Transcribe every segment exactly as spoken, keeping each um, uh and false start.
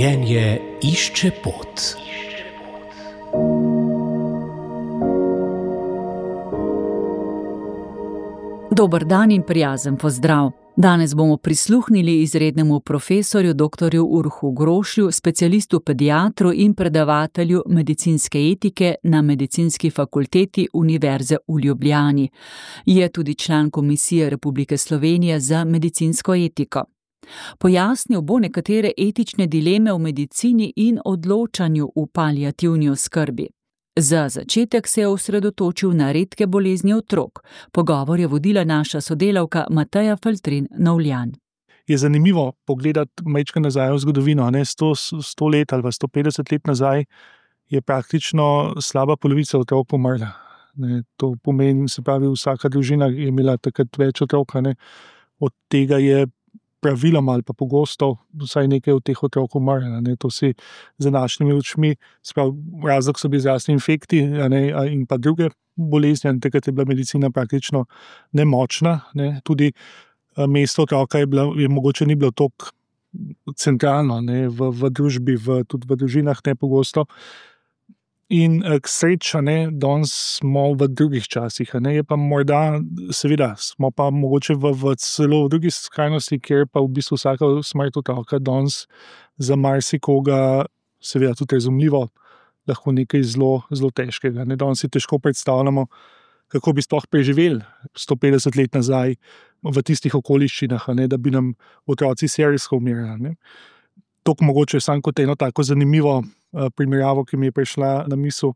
Življenje išče pot. Dober dan in prijazen pozdrav. Danes bomo prisluhnili izrednemu profesorju doktorju Urošu Grošlju, specialistu pediatru in predavatelju medicinske etike na Medicinski fakulteti Univerze v Ljubljani. Je tudi član Komisije Republike Slovenije za medicinsko etiko. Pojasnil bo nekatere etične dileme v medicini in odločanju v paliativni oskrbi. Za začetek se je osredotočil na redke bolezni otrok. Pogovor je vodila naša sodelavka Mateja Faltrin-Novljan. Je zanimivo pogledati majčkeno nazaj v zgodovino. Ne? sto, sto let ali sto petdeset let nazaj je praktično slaba polovica otrok umrla. Ne? To pomeni, se pravi, vsaka družina je imela takrat več otrok. Ne? Od tega je praviloma ali pa pogosto vsaj nekaj od teh otrok umrlo. To si za našimi očmi, sprav, razlog so bili zdravstveni infekti ne, in pa druge bolezni, takrat je bila medicina praktično nemočna. Ne. Tudi mesto otroka je, bila, je mogoče ni bilo toliko centralno ne, v, v družbi, v, tudi v družinah nepogosto. In k sreči, danes smo v drugih časih. Ne, je pa morda, seveda, smo pa mogoče v, v celo v drugi skrajnosti, kjer pa v bistvu vsaka smrt otroka danes za marsikoga, seveda tudi razumljivo, lahko nekaj zelo, zelo težkega. Ne, danes si težko predstavljamo, kako bi sploh preživeli sto petdeset let nazaj v tistih okoliščinah, ne, da bi nam otroci serijsko umirali. Tok mogoče samo kot eno tako zanimivo primerjavo, ki mi je prišla na misel.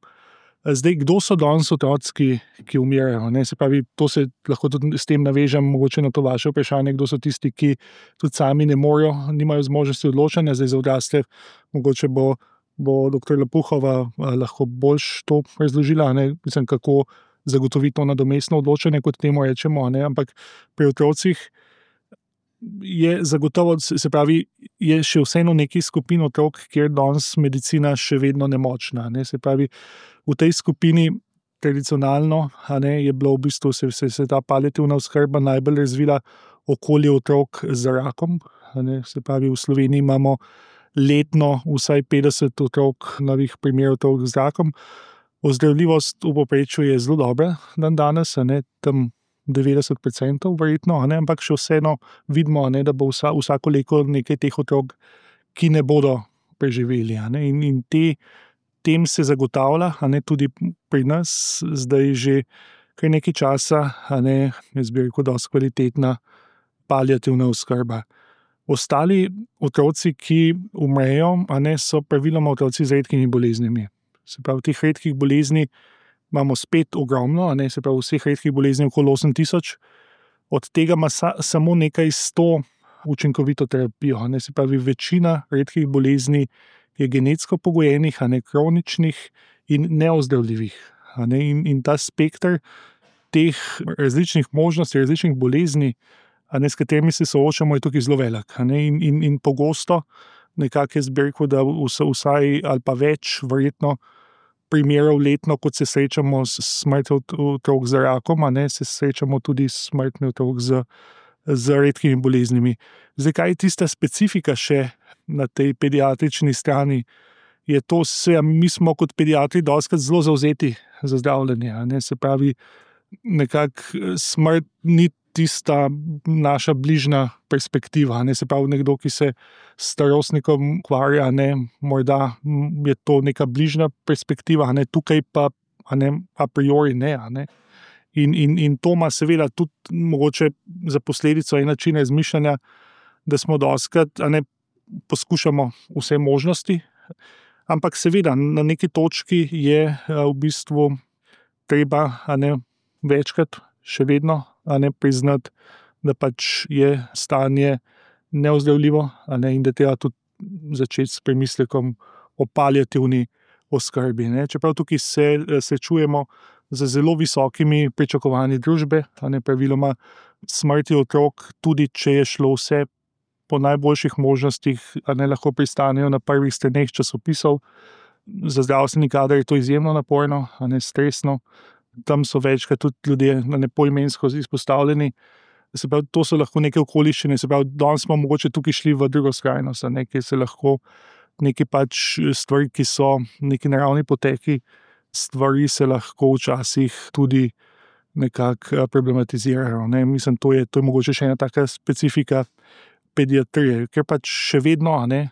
Zdaj, kdo so danes otroci, ki, ki umirajo? Ne? Se pravi, to se lahko tudi s tem navežem, mogoče na to vaše vprašanje, kdo so tisti, ki tudi sami ne morejo, nimajo zmožnosti odločanja, zdaj za odrasle, mogoče bo, bo doktor Lapuhova lahko boljš to razložila, ne? Mislim, kako zagotoviti to nadomestno odločanje, kot temu rečemo, ne? Ampak pri otrocih je zagotovo, se pravi, je še vseeno nekaj skupin otrok, kjer danes medicina še vedno nemočna. Ne? Se pravi, v tej skupini tradicionalno ne, je bilo v bistvu se, se, se ta paliativna oskrba najbolj razvila okoli otrok z rakom. Ne? Se pravi, v Sloveniji imamo letno vsaj petdeset otrok, novih primerov otrok z rakom. Ozdravljivost v povprečju je zelo dobra dan danes, ne? Tam devetdeset procentov verjetno, ne? Ampak še vseeno vidimo, ne, da bo vsa, vsako leto nekaj teh otrok, ki ne bodo preživeli. Ne? In, in te, tem se zagotavlja, ne, tudi pri nas zdaj že kar nekaj časa, ne, jaz bi rekel, dosti kvalitetna paliativna oskrba. Ostali otroci, ki umrejo, ne, so praviloma otroci z redkimi boleznimi. Se pravi, teh redkih bolezni imamo spet ogromno, ne, se pravi, vseh redkih bolezni okoli osem tisoč, od tega ima sa, samo nekaj sto učinkovito terapijo. Ne, se pravi, večina redkih bolezni je genetsko pogojenih, a ne kroničnih in neozdravljivih. A ne, in, in ta spekter teh različnih možnosti, različnih bolezni, a ne, s katerimi se soočamo, je tukaj zelo velik. A ne, in, in, in pogosto, nekako jaz bi rekel, da vsaj ali pa več, verjetno, primerov letno, kot se srečamo s smrtjo otrok z rakom, a ne, se srečamo tudi s smrtmi otrok z, z redkimi boleznimi. Zdaj, kaj je tista specifika še na tej pediatrični strani? Je to, se, mi smo kot pediatri dostikrat zelo zavzeti za zdravljenje. A ne, se pravi, nekako smrt ni tista naša bližnja perspektiva. Ne, se pravi, nekdo, ki se s starostnikom ukvarja, ne, morda je to neka bližnja perspektiva, ne, tukaj pa a, ne, a priori ne. A ne. In, in, in to ima seveda tudi mogoče za posledico en način razmišljanja, da smo dostikrat, a ne, poskušamo vse možnosti, ampak seveda na neki točki je a, v bistvu treba, a ne, večkrat še vedno a ne priznati, da pač je stanje neozdravljivo, a ne, in da treba tudi začeti s premislekom o paliativni oskrbi. Ne. Čeprav tukaj se srečujemo z zelo visokimi pričakovanji družbe, a ne, praviloma smrti otrok, tudi če je šlo vse po najboljših možnostih, a ne, lahko pristanejo na prvih straneh časopisov. Za zdravstveni kader je to izjemno naporno, a ne, stresno. Tam so večkrat tudi ljudje poimensko izpostavljeni. Se pravi, to so lahko neke okoliščine, se pravi, danes smo mogoče tukaj šli v drugo skrajnost, kjer se lahko neki pač stvari, ki so neki naravni poteki, stvari se lahko včasih tudi nekako problematizirajo. Ne. Mislim, to je, to je mogoče še ena taka specifika pediatrije, ker pač še vedno, ne,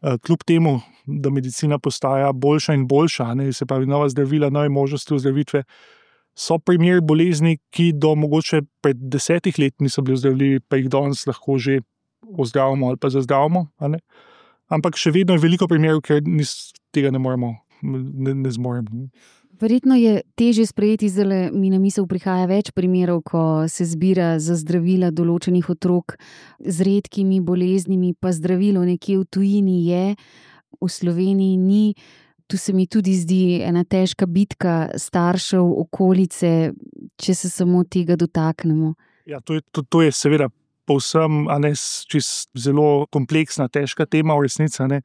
kljub temu, da medicina postaja boljša in boljša, ne, se pravi nova zdravila, nove možnosti ozdravitve, so primeri bolezni, ki do mogoče pred desetih let niso bili ozdravljivi, pa jih danes lahko že ozdravimo ali pa zazdravimo. Ne. Ampak še vedno je veliko primerov, ker nis, tega ne moremo, ne, ne zmoremo. Verjetno je težje sprejeti, zdaj mi na misel prihaja več primerov, ko se zbira za zdravila določenih otrok z redkimi boleznimi, pa zdravilo nekje v tujini je, v Sloveniji ni. Tu se mi tudi zdi ena težka bitka staršev, okolice, če se samo tega dotaknemo. Ja, to je, to, to je seveda povsem, a ne, čist zelo kompleksna, težka tema v resnici, a ne.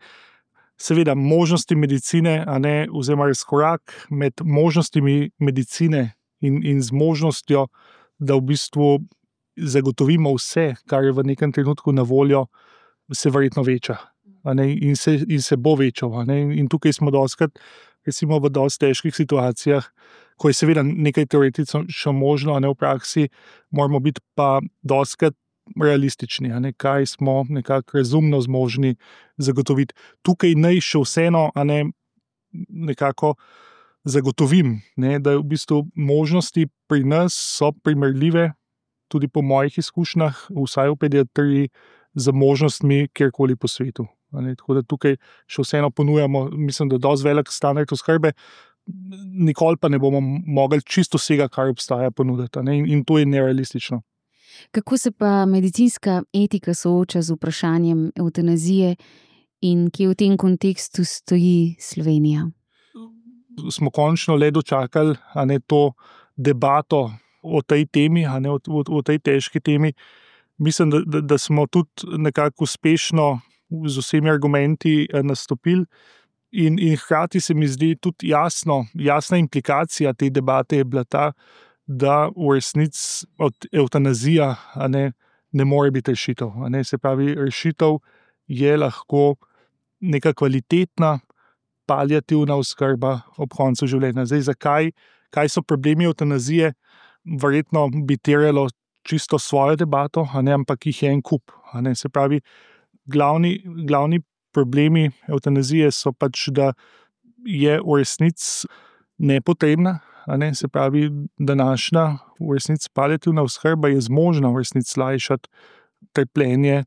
Seveda možnosti medicine, a ne, oziroma razkorak med možnostmi medicine in, in z možnostjo, da v bistvu zagotovimo vse, kar je v nekem trenutku na voljo, se verjetno veča. A ne, in, se, in se bo večal. A ne, in tukaj smo dostikrat, recimo v dosti težkih situacijah, ko je seveda nekaj teoretično možno, a ne, v praksi, moramo biti pa dostikrat realistični, a ne, kaj smo nekako razumno zmožni zagotoviti. Tukaj naj še vseeno, a ne, nekako zagotovim, ne, da v bistvu možnosti pri nas so primerljive, tudi po mojih izkušnjah, vsaj v pediatriji, z možnostmi kjerkoli po svetu. A ne, tako da tukaj še vseeno ponujamo, mislim, da dosti velik standard oskrbe, nikoli pa ne bomo mogli čisto vsega, kar obstaja, ponuditi, a ne, in, in to je nerealistično. Kako se pa medicinska etika sooča z vprašanjem evtanazije in kje v tem kontekstu stoji Slovenija? Smo končno le dočakali, a ne, to debato o tej temi, a ne, o, o, o tej težki temi. Mislim, da, da, da smo tudi nekako uspešno z vsemi argumenti nastopili in, in hkrati se mi zdi tudi jasno, jasna implikacija te debate je bila ta, da v resnici od evtanazija, a ne, ne more biti rešitev. A ne, se pravi, rešitev je lahko neka kvalitetna paliativna oskrba ob koncu življenja. Zdaj, zakaj, kaj so problemi evtanazije, verjetno bi terjalo čisto svojo debato, a ne, ampak jih je en kup. A ne, se pravi, glavni, glavni problemi evtanazije so pač, da je v resnici nepotrebna. A ne, se pravi, današnja v resnici paliativna oskrba je zmožna v resnici lajšati trpljenje,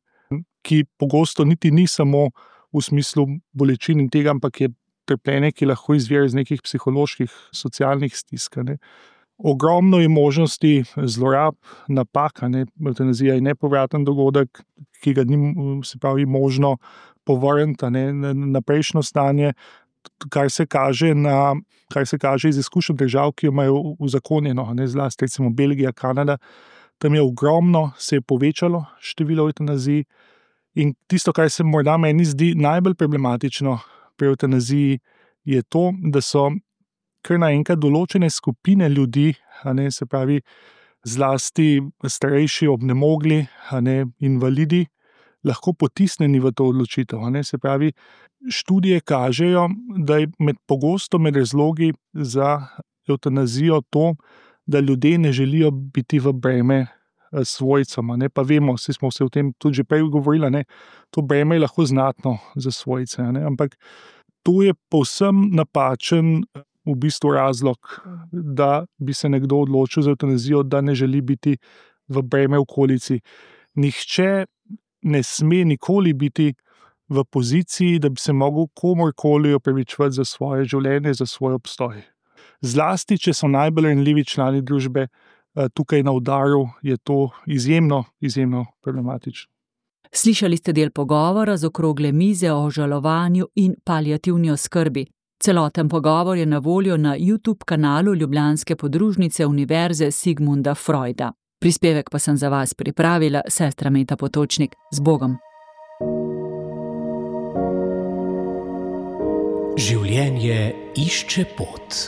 ki pogosto niti ni samo v smislu bolečin in tega, ampak je trpljenje, ki lahko izvira iz nekih psiholoških, socialnih stisk. Ne. Ogromno je možnosti zlorab, napak, a ne, evtanazija je nepovraten dogodek, ki ga ni, se pravi, možno povrniti, a ne, na prejšnjo stanje, kar se kaže na, kar se kaže iz izkušenj držav, ki jo imajo uzakonjeno, ne, zlasti recimo Belgija, Kanada, tam je ogromno, se je povečalo število evtanazij in tisto, kar se morda meni zdi najbolj problematično pri evtanaziji, je to, da so kar naenkrat določene skupine ljudi, a ne, se pravi, zlasti starejši, obnemogli, a ne, invalidi, lahko potisnjeni v to odločitev. A ne, se pravi, študije kažejo, da je med pogosto med razlogi za evtanazijo to, da ljudje ne želijo biti v breme svojcem, a ne, pa vemo, vsi smo se o tem tudi že prej govorili, ne, to breme je lahko znatno za svojce, a ne, ampak to je povsem napačen v bistvu razlog, da bi se nekdo odločil za evtanazijo, da ne želi biti v breme okolici. Nihče ne sme nikoli biti v poziciji, da bi se mogel komorkoli opravičevati za svoje življenje, za svoj obstoj. Zlasti, če so najbolj ranljivi člani družbe tukaj na udaru, je to izjemno, izjemno problematično. Slišali ste del pogovora z okrogle mize o žalovanju in paliativni oskrbi. Celoten pogovor je na voljo na YouTube kanalu ljubljanske podružnice Univerze Sigmunda Freuda. Prispevek pa sem za vas pripravila sestra Meta Potočnik. Z Bogom! Življenje išče pot.